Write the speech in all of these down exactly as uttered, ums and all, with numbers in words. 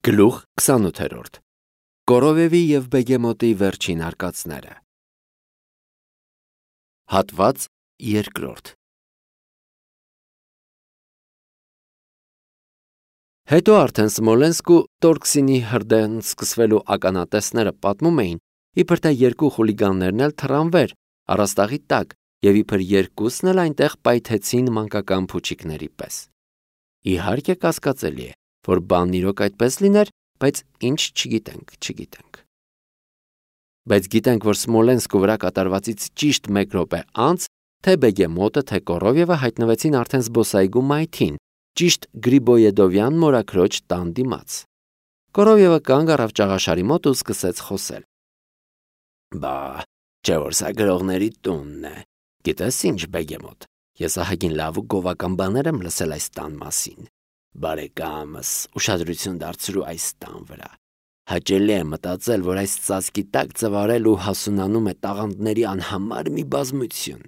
Գլուխ քսանութերորդ Կորովևի և Բեգեմոտի վերջին արկածները Հատված երկրորդ Հետո արդեն Սմոլենսկ ու Տորքսինի հրդեհն սկսվելու ականատեսները պատմում էին, իբր թե երկու խուլիգաններն էլ թռան վեր, առաստաղի տակ, և իբր երկուսն էլ այնտեղ պայթեցին մանկական փուչիկների պես։ Իհարկե կասկածելի է, որ բանն իրոք այդպես լիներ, բայց ինչ չգիտենք, չգիտենք։ Բայց գիտենք, որ Սմոլենսկու վրա կատարվածից ճիշտ մեկ րոպե անց թե Բեգեմոտը, թե Կորովևը հայտնվեցին արդեն զբոսայգու մայթին, ճիշտ Գրիբոյեդովյան մորաքրոջ տան դիմաց։ Կորովևը կանգ առավ ճաղաշարի մոտ ու սկսեց խոսել. Բա, չէ՞ որ սա գրողների տունն է։ Գիտես ինչ, Բեգեմոտ, ես ահագին լավ ու գովական բաներ եմ լսել այս տան մասին։ Բարեկամս, ուշադրություն դարձրու այս տան վրա։ Հաճելի է մտածել, որ այս ծածկի տակ ծվարել ու հասունանում է տաղանդների անհամար մի բազմություն։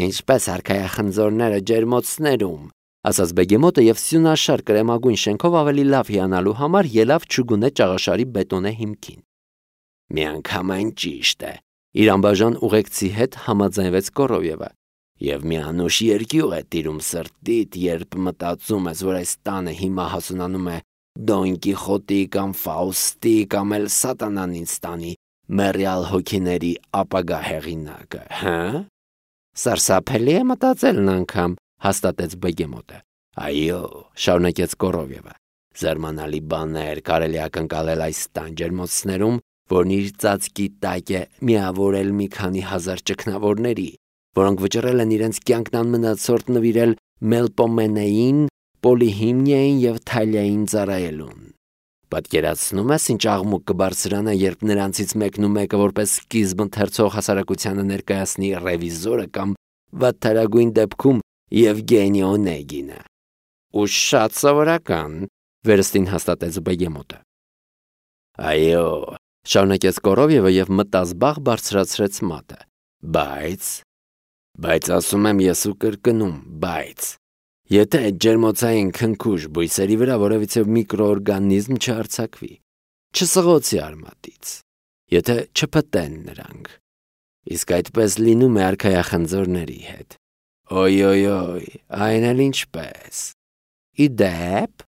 Ինչպես արքայախնձորները ջերմոցներում, ասաց Բեգեմոտը և սյունաշար կրեմագույն շենքով ավելի լավ հիանալու համար ելավ չուգունե ճաղաշարի բետոնե հիմքին։ Միանգամայն ճիշտ է, իր անբաժան ուղեկցի հետ համաձայնվեց Կորովևը, և մի անուշ երկյուղ է տիրում սրտիդ, երբ մտածում ես, որ այս տանը հիմա հասունանում է Դոն Կիխոտի կամ Ֆաուստի կամ էլ Սատանան ինձ տանի մեռյալ հոգիների ապագա հեղինակը, հը՞։ Սարսափելի է մտածելն անգամ, հաստատեց Բեգեմոտը։ Այո, շարունակեց Կորովևը, զարմանալի բաներ կարելի է ակնկալել այս տան ջերմոցներում, որն իր ծածկի տակ է միավորել մի քանի հազար ճգնավորների, որոնք վճռել են իրենց կյանքն անմնացորդ նվիրել Մելպոմենեին, Պոլիհիմնիային և Թալիային ծառայելուն։ Պատկերացնում ես, ինչ աղմուկ կբարձրանա, երբ նրանցից մեկն ու մեկը որպես սկիզբ ընթերցող հասարակությանը ներկայացնի ռևիզորը կամ վատթարագույն դեպքում Եվգենի Օնեգինը։ Ու շատ սովորական, վերստին հաստատեց Բեգեմոտը։ Այո, շարունակեց Կորովևը և մտազբաղ բարձրացրեց մատը։ Բայց, բայց ասում եմ ես ու կրկնում, բայց, եթե այդ ջերմոցային քնքուշ բույսերի վրա որևիցե միկրոօրգանիզմ չհարձակվի, չսղոցի արմատից, եթե չփտեն նրանք, իսկ այդպես լինում է արքայախնձորների հետ։ Ոյ-ոյ-ոյ, այն էլ ինչպես։ Ի դեպ,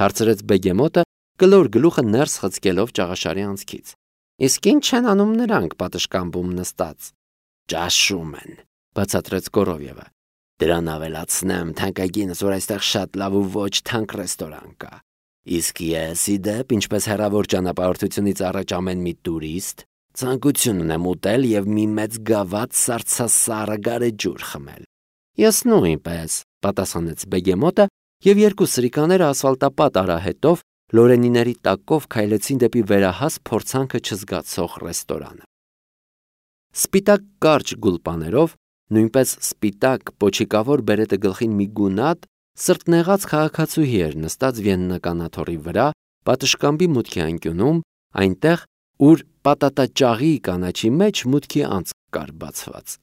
հարցրեց Բեգեմոտը, կլոր գլուխը ներս խցկելով ճաղաշարի անցքից։ Իսկ ինչ են անում նրանք պատշգամբում նստած։ Ճաշում են, բացատրեց Կորովևը։ Դրան ավելացնեմ թանկագինս, որ այստեղ շատ լավ ու ոչ թանկ ռեստորան կա։ Իսկ ես, ի դեպ, ինչպես հեռավոր ճանապարհորդությունից առաջ ամեն մի տուրիստ, ցանկություն ունեմ ուտել և մի մեծ գավաթ սառցասառը գարեջուր խմել։ Ես նույնպես, պատասխանեց Բեգեմոտը, և երկու սրիկաները ասֆալտապատ արահետով լորենիների տակով քայլեցին դեպի վերահաս փորձանքը չզգացող ռեստորանը։ Սպիտակ կարճ գուլպաներով, նույնպես սպիտակ պոչիկավոր բերետը գլխին մի գունատ, սրտնեղած քաղաքացուհի էր նստած վիեննական աթոռի վրա, պատշգամբի մուտքի անկյունում, այնտեղ, ուր պատատաճաղի կանաչի մեջ մուտքի անցք կար բացված։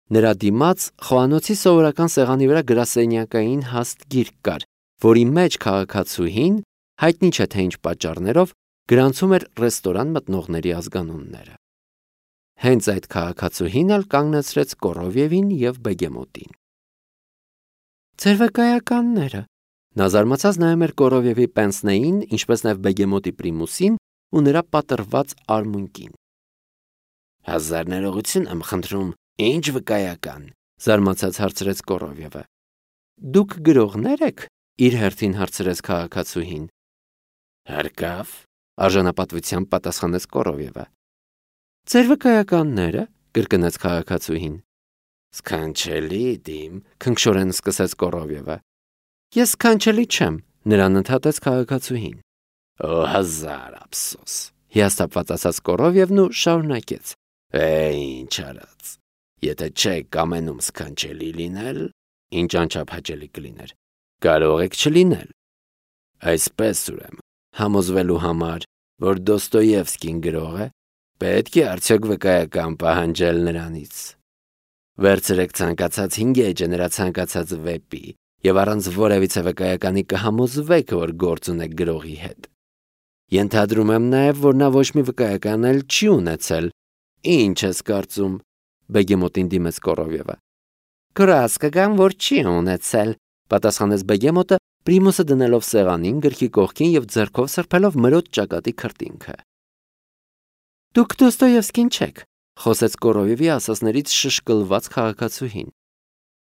Նրա դիմաց խոհանոցի սովորական սեղանի վրա գրասենյակային հաստ գիրք կար, որի մեջ քաղաքացուհին, հայտնի չէ թե ինչ պատճառներով, գրանցում էր ռեստորան մտնողների ազգանունները։ Հենց այդ քաղաքացուհին էլ կանգնեցրեց Կորովևին և Բեգեմոտին։ Ձեր վկայականները։ Նա զարմացած նայում էր Կորովևի պենսնեին, ինչպես նաև Բեգեմոտի պրիմուսին ու նրա պատռված արմունկին։ Հազար ներողություն եմ խնդրում, ինչ վկայական, զարմացած հարցրեց Կորովևը։ Դուք գրողնե՞ր եք, իր հերթին հարցրեց քաղաքացուհին։ Հարկավ, արժանապատվությամբ պատասխանեց Կորովևը։ Ձեր վկայականները, կրկնեց քաղաքացուհին։ Սքանչելի դիմ, քնքշորեն սկսեց Կորովևը։ Ես սքանչելի չեմ, նրան ընդհատեց քաղաքացուհին։ Օ, հազար ափսոս, հիասթափված ասաց Կորովևն ու շարունակեց։ Է, ինչ արած։ Եթե չեք կամենում սքանչելի լինել, ինչ անչափ հաճելի կլիներ, կարող եք չլինել։ Այսպես ուրեմն, համոզվելու համար, որ Դոստոևսկին գրող է, պետք է արդյոք վկայական պահանջել նրանից։ Վերցրեք ցանկացած հինգ էջը նրա ցանկացած վեպի և առանց որևիցե վկայականի կհամոզվեք, որ գործ ունեք գրողի հետ։ Ենթադրում եմ նաև, որ նա ոչ մի վկայական էլ չի ունեցել։ Ինչ ես կարծում, Բեգեմոտին դիմեց Կորովևը։ Գրած կգամ, որ չի ունեցել, պատասխանեց Բեգեմոտը, Պրիմուսը դնելով սեղանին, գրքի կողքին եւ ձեռքով սրբելով մրոտ ճակատի քրտինքը։ Դուք Դոստոևսկին չեք, խոսեց Կորովևի ասասներից շշկլված քաղաքացուհին։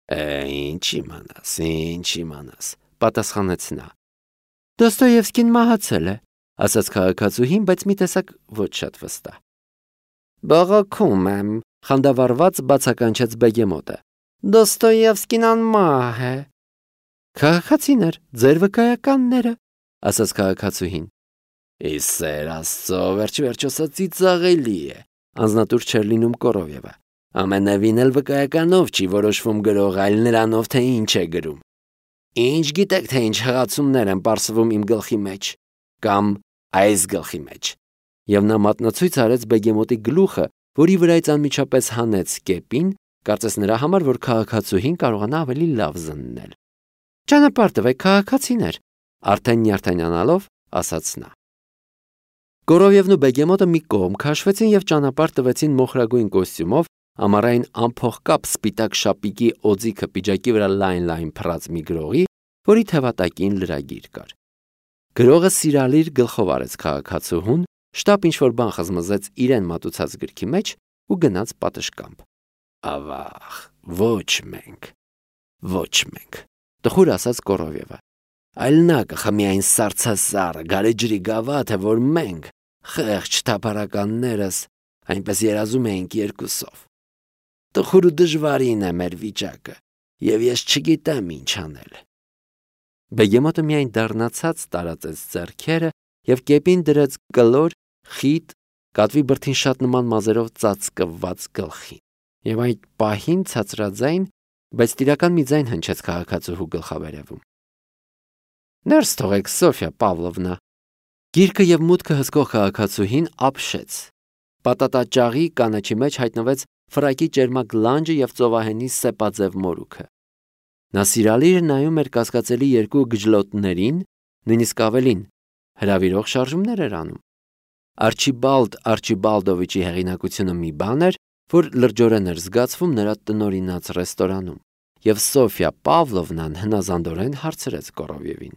Է, ինչ իմանաս, ինչ իմանաս, պատասխանեց նա։ Դոստոևսկին մահացել է, ասաց քաղաքացուհին, բայց մի տեսակ ոչ շատ վստահ։ Բողոքում եմ, խանդավառված բացականչեց Բեգեմոտը։ Դոստոևսկին անմահ է։ Քաղաքացիներ, ձեր վկայականները, ասաց քաղաքացուհին։ Իսկ սեր Աստծո, վերջ-վերջո սա ծիծաղելի է, անձնատուր չէր լինում Կորովևը։ Ամենևին էլ վկայականով չի որոշվում գրող, այլ նրանով, թե ինչ է գրում։ Ինչ գիտեք, թե ինչ հղացումներ են պարսվում իմ գլխի մեջ, կամ այս գլխի մեջ։ Եվ նա մատնացույց արեց Բեգեմոտի գլուխը, որի վրայից անմիջապես հանեց կեպին, կարծես նրա համար, որ քաղաքացուհին կարողանա ավելի լավ զննել։ Ճանապարհ տվեք, քաղաքացիներ, արդեն նյարդայնանալով ասաց նա։ Կորովևն ու Բեգեմոտը մի կողմ քաշվեցին եւ ճանապարհ տվեցին մոխրագույն կոստյումով, ամառային ամփոխկապ սպիտակ շապիկի օձիքը պիջակի վրա լայն-լայն փռած մի գրողի, որի թևատակին լրագիր կար։ Գրողը սիրալիր գլխով արեց քաղաքացուհուն, շտապ ինչ-որ բան խզմզեց իրեն մատուցած գրքի մեջ ու գնաց պատշգամբ։ Ավաղ, ոչ մենք, ոչ մենք, տխուր ասաց Կորովևը։ Այլ նա կխմի այն սարսասարը, գարեջրի գավաթը, որ մենք, խեղճ թափառականներս, այնպես երազում էինք երկուսով։ Տխուր ու դժվարին է մեր վիճակը, եւ ես չգիտեմ ինչ անել։ Բեգեմոտը միայն դառնացած տարածեց ձեռքերը եւ կեպին դրեց կլոր, խիտ, կատվի բրդին շատ նման մազերով ծածկված գլխին։ Եվ այդ պահին ցածրաձայն, բայց տիրական մի ձայն հնչեց քաղաքացուհու գլխավերևում։ Ներս թողեք, Սոֆիա Պավլովնա։ Գիրքը եւ մուտքը հսկող քաղաքացուհին ապշեց։ Պատատաճաղի կանաչի մեջ հայտնվեց ֆրակի ճերմակ լանջը եւ ծովահենի սեպաձև մորուքը։ Նա սիրալիր նայում էր կասկածելի երկու գժլոտներին, նույնիսկ ավելին, հրավիրող շարժումներ էր անում։ Արչիբալդ Արչիբալդովիչի հեղինակությունը մի բան էր, որ լրջորեն էր զգացվում նրա տնօրինած ռեստորանում, եւ Սոֆիա Պավլովնան հնազանդորեն հարցրեց Կորովևին.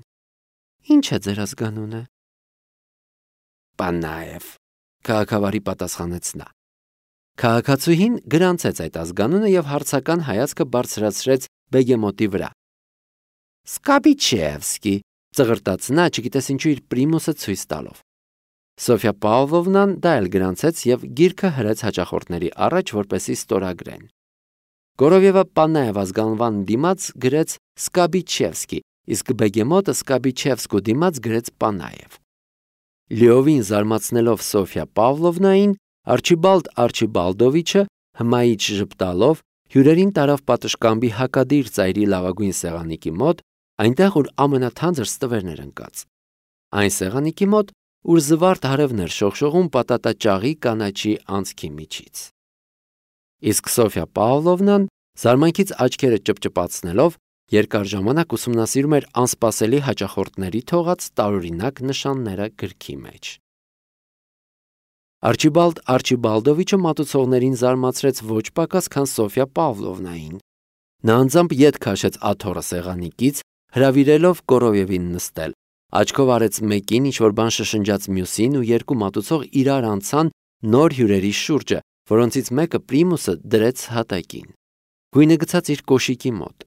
Ինչ է ձեր ազգանունը։ Պանաև, քաղաքավարի պատասխանեց նա։ Քաղաքացուհին գրանցեց այդ ազգանունը եւ հարցական հայացքը բարձրացրեց Բեգեմոտի վրա։ Սկաբիչևսկի, ծղրտաց նա, չգիտես ինչու իր պրիմուսը ցույց տալով։ Սոֆիա Պավլովնան դա էլ գրանցեց եւ գիրքը հրեց հաճախորդների առաջ, որպեսզի ստորագրեն։ Կորովևը Պանաև ազգանվան դիմաց գրեց Սկաբիչևսկի, իսկ Բեգեմոտը Սկաբիչևսկու դիմաց գրեց Պանաև։ Լիովին զարմացնելով Սոֆիա Պավլովնային, Արչիբալդ Արչիբալդովիչը հմայիչ ժպտալով հյուրերին տարավ պատշգամբի հակադիր ծայրի լավագույն սեղանիկի մոտ, այնտեղ որ ամենաթանձր ստվերներ ընկած։ Այն սեղանիկի մոտ, ուր զվարթ հարևներ շողշողում պատատաճաղի կանաչի անցքի միջից։ Իսկ Սոֆիա Պավլովնան զարմանքից աչքերը ճպճպացնելով երկար ժամանակ ուսումնասիրում էր անսպասելի հաճախորդների թողած տարօրինակ նշանները գրքի մեջ։ Արչիբալդ Արչիբալդովիչը մատուցողներին զարմացրեց ոչ պակաս, քան Սոֆիա Պավլովնային։ Նա անձամբ ետ քաշեց աթոռը սեղանիկից, հրավիրելով Կորովևին նստել։ Աչքով արեց մեկին, ինչ-որ բան շշնջաց մյուսին ու երկու մատուցող իրար անցան նոր հյուրերի շուրջը, որոնցից մեկը պրիմուսը դրեց հատակին։ Գույնը գցած իր կոշիկի մոտ։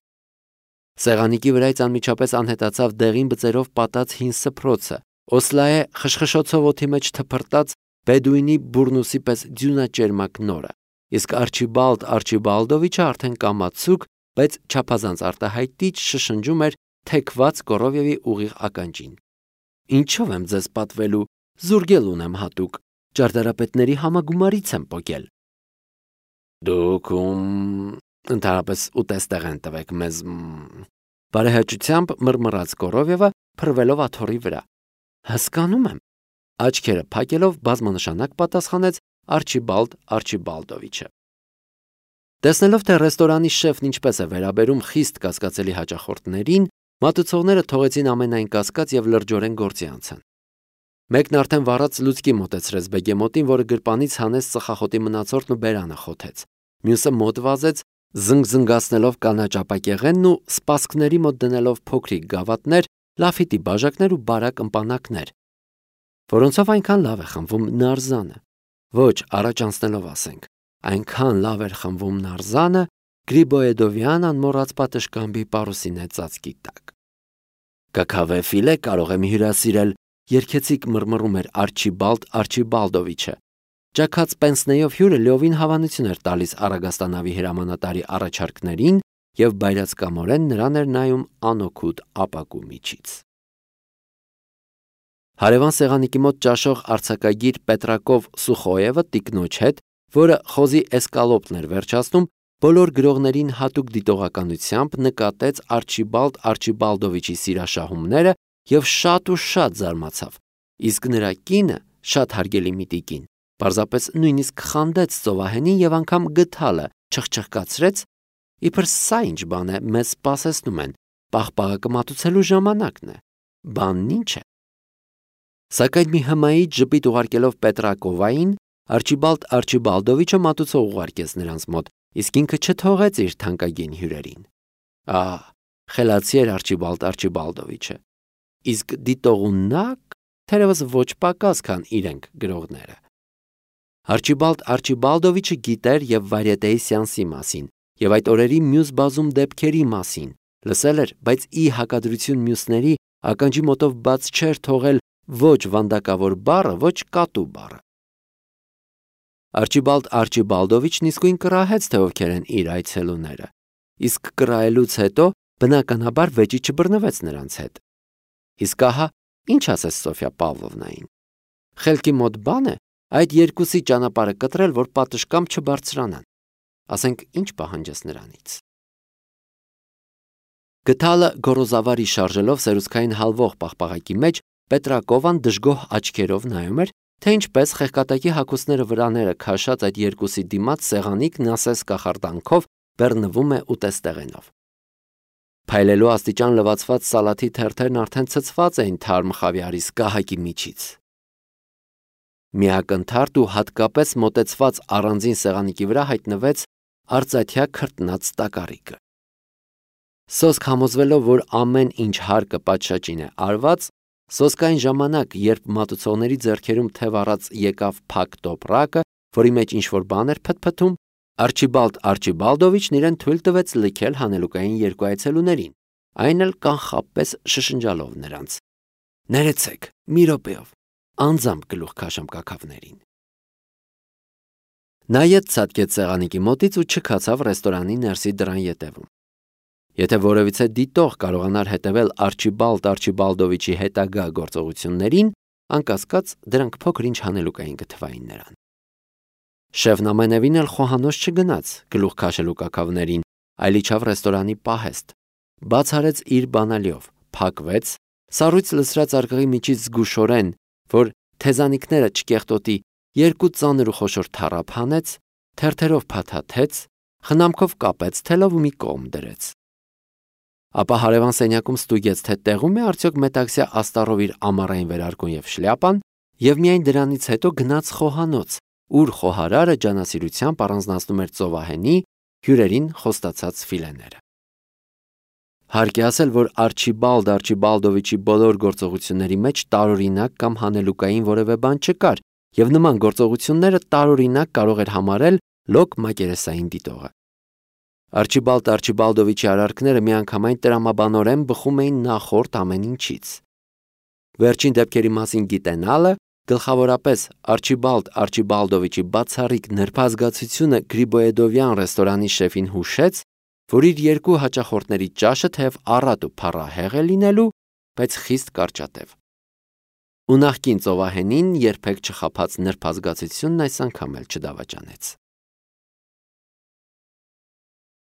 Սեղանիկի վրայից անմիջապես անհետացավ դեղին բծերով պատած հին սփռոցը, Օսլայե խշխշոցով օդի մեջ թփրտած Բեդուինի բուրնուսի պես ձյունաճերմակ նորը, իսկ Արչիբալդ Արչիբալդովիչը արդեն կամացուկ, բայց չափազանց արտահայտիչ շշնջում էր թեքված Կորովևի ուղիղ ականջին։ Ինչով եմ ձեզ պատվելու, զուրգել ունեմ հատուկ, ճարտարապետների համագումարից եմ պոկել։ Դուք ում ընդհանրապես ուտեստեղ են տվեք մեզ։ Բարեհաճությամբ մռմռաց Կորովևը, փռվելով աթոռի վրա։ Հասկանում եմ։ Աչքերը փակելով բազմանշանակ պատասխանեց Արչիբալդ Արչիբալդովիչը։ Տեսնելով թե ռեստորանի շեֆն ինչպես է վերաբերում խիստ կասկածելի հաճախորդներին, մատուցողները թողեցին ամենայն կասկած եւ լրջորեն գործի անցան։ Մեկն արդեն վառած լուցկի մոտեցրեց բեգեմոտին, որը գրպանից հանեց ծխախոտի մնացորդն ու բերանը խոթեց։ Մյուսը մոտ վազեց, զնգզնգացնելով կանաչ ապակեղենն ու սպասքների մոտ դնելով փոքրիկ գավաթներ, լաֆիտի բաժակներ ու բարակ ըմպանակներ, որոնցով այնքան լավ է խմվում նարզանը։ Ոչ, առաջ անցնելով ասենք, այնքան լավ էր խմվում նարզանը Գրիբոեդովյան անմոռաց պատշգամբի պարուսինե ծածկի տակ։ Կաքավե ֆիլե կարող եմ հյուրասիրել, երգեցիկ մռմռում էր Արչիբալդ Արչիբալդովիչը։ Ճաքած պենսնեյով հյուրը լիովին հավանություն էր տալիս Արագաստանավի հրամանատարի առաջարկներին եւ բայրացկամորեն նրան էր նայում անօգուտ ապակու միջից։ Հարևան սեղանիկի մոտ ճաշող արձակագիր Պետրակով Սուխոևը տիկնոջ հետ, որը խոզի էսկալոպն էր վերջացնում, բոլոր գրողներին հատուկ դիտողականությամբ նկատեց Արչիբալդ Արչիբալդովիչի սիրաշահումները եւ շատ ու շատ զարմացավ, իսկ նրա կինը, շատ հարգելի մի տիկին, պարզապես նույնիսկ խանդեց ծովահենին եւ անգամ գդալը չխչխկացրեց, իբր սա ինչ բան է, մեզ սպասեցնում են, պաղպաղակը մատուցելու ժամանակն է, բանն ինչ է։ Սակայն մի հմայիչ ժպիտ ուղարկելով Պետրակովային, Արչիբալդ Արչիբալդովիչը մատուցող ուղարկեց նրանց մոտ, իսկ ինքը չթողեց իր թանկագին հյուրերին։ Ահ, խելացի էր Արչիբալդ Արչիբալդովիչը, իսկ դիտողունակ թերևս ոչ պակաս, քան իրենք գրողները։ Արչիբալդ Արչիբալդովիչը գիտեր եւ վարիետեի սեանսի մասին, եւ այդ օրերի մյուս բազում դեպքերի մասին, լսել էր, բայց ի հակադրություն մյուսների ականջի մոտով բաց չէր թողել ոչ վանդակավոր բառը, ոչ կատու բառը։ Արչիբալդ Արչիբալդովիչն իսկույն կռահեց, թե ովքեր են իր այցելուները, իսկ կռահելուց հետո բնականաբար վեճի չբռնվեց նրանց հետ։ Իսկ ահա, ինչ ասես Սոֆյա Պավլովնային։ Խելքի մոտ բան է այդ երկուսի ճանապարհը կտրել, որ պատշգամբ չբարձրանան։ Ասենք, ինչ պահանջես նրանից։ Գդալը գորոզավարի շարժելով սերուցքային հալվող պաղպաղակի մեջ Պետրակովան դժգոհ աչքերով նայում էր, թե ինչպես խեղկատակի հագուստները վրաները քաշած այդ երկուսի դիմաց սեղանիկն ասես կախարդանքով բեռնվում է ուտեստեղենով։ Փայլելու աստիճան լվացված սալաթի թերթերն արդեն ցցված էին թարմ խավիարի սկահակի միջից։ Միակնթարթ ու հատկապես մոտեցված առանձին սեղանիկի վրա հայտնվեց արծաթյա քրտնած տակառիկը։ Սոսկ համոզվելով, որ ամեն ինչ հարկը պատշաճին է արված, սոսկային ժամանակ, երբ մատուցողների ձեռքերում թև առած եկավ փակ տոպրակը, որի մեջ ինչ-որ բան էր փթփթում, Արչիբալդ Արչիբալդովիչն իրեն թույլ տվեց լքել հանելուկային երկու այցելուներին, այն էլ կանխապես շշնջալով նրանց. «Ներեցեք, մի րոպեով, անձամբ գլուխ քաշեմ կաքավներին»։ Նա ետ ցատկեց սեղանիկի մոտից ու չքացավ ռեստորանի ներսի դռան ետևում։ Եթե որևիցե դիտող կարողանար հետևել Արչիբալդ Արչիբալդովիչի հետագա գործողություններին, անկասկած դրանք փոքր-ինչ հանելուկային կթվային նրան։ Շեֆն ամենևին էլ խոհանոց չգնաց գլուխ քաշելու կաքավներին, այլ իջավ ռեստորանի պահեստ, բաց արեց իր բանալիով, փակվեց, սառույց լսրած արկղի միջից զգուշորեն, որ թեզանիկները չկեղտոտի, երկու ծանր ու խոշոր թառափ հանեց, թերթերով փաթաթեց, խնամքով կապեց թելով ու մի կողմ դրեց։ Ապա հարևան սենյակում ստուգեց, թե տեղում է արդյոք մետաքսյա աստառով իր ամառային վերարկուն եւ շլյապան, եւ միայն դրանից հետո գնաց խոհանոց, ուր խոհարարը ջանասիրությամբ առանձնացնում էր ծովահենի հյուրերին խոստացած ֆիլեները։ Հարկ է ասել, որ Արչիբալդ Արչիբալդովիչի բոլոր գործողությունների մեջ տարօրինակ կամ հանելուկային որևէ բան չկար, եւ նման գործողությունները տարօրինակ կարող էր համարել լոկ մակերեսային դիտողը։ Արչիբալդ Արչիբալդովիչի արարքները միանգամայն տրամաբանորեն բխում էին նախորդ ամեն ինչից։ Վերջին դեպքերի մասին գիտենալը, գլխավորապես Արչիբալդ Արչիբալդովիչի բացառիկ նրբազգացությունը Գրիբոեդովյան ռեստորանի շեֆին հուշեց, որ իր երկու հաճախորդների ճաշը թեև առատ ու փառահեղ է լինելու, բայց խիստ կարճատև։ Ու նախկին ծովահենին երբեք չխաբած նրբազգացությունն այս անգամ էլ չդավաճանեց։